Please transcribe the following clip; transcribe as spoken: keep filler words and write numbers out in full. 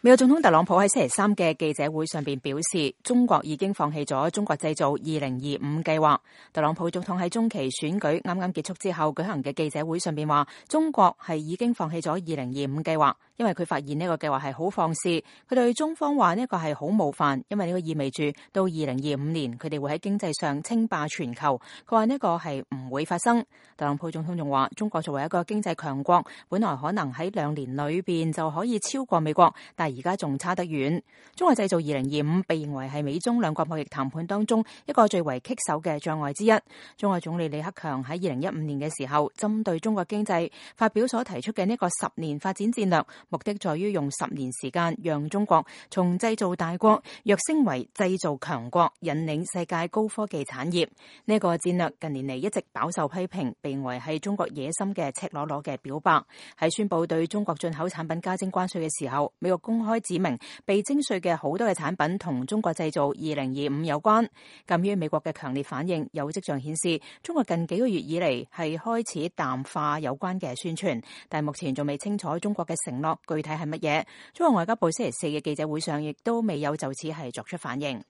美國總統特朗普喺星期三嘅記者會上邊表示，中國已經放棄咗中國製造二零二五計劃。特朗普總統喺中期選舉啱啱結束之後舉行嘅記者會上邊話，中國係已經放棄咗二零二五計劃，因為佢發現呢個計劃係好放肆。佢對中方話呢個係好冒犯，因為呢個意味住到二零二五年佢哋會喺經濟上稱霸全球。佢話呢個係唔會發生。特朗普總統仲話，中國作為一個經濟強國，本來可能喺兩年裏邊就可以超過美國，但而家仲差得遠。中國製造二零二五被認為係美中兩國貿易談判當中一個最為棘手嘅障礙之一。中國總理李克強喺二零一五年嘅時候，針對中國經濟發表所提出嘅呢個十年發展戰略，目的在於用十年時間讓中國從製造大國躍升為製造強國，引領世界高科技產業。呢個戰略近年嚟一直飽受批評，被認為係中國野心嘅赤裸裸嘅表白。喺宣布對中國進口產品加徵關稅嘅時候，美國公開指明被徵稅嘅好多嘅產品同中國製造二零二五有關。鑒於美國嘅強烈反應，有跡象顯示中國近幾個月以嚟係開始淡化有關嘅宣傳，但目前仲未清楚中國嘅承諾具體係乜嘢。中國外交部星期四嘅記者會上亦都未有就此係作出反應。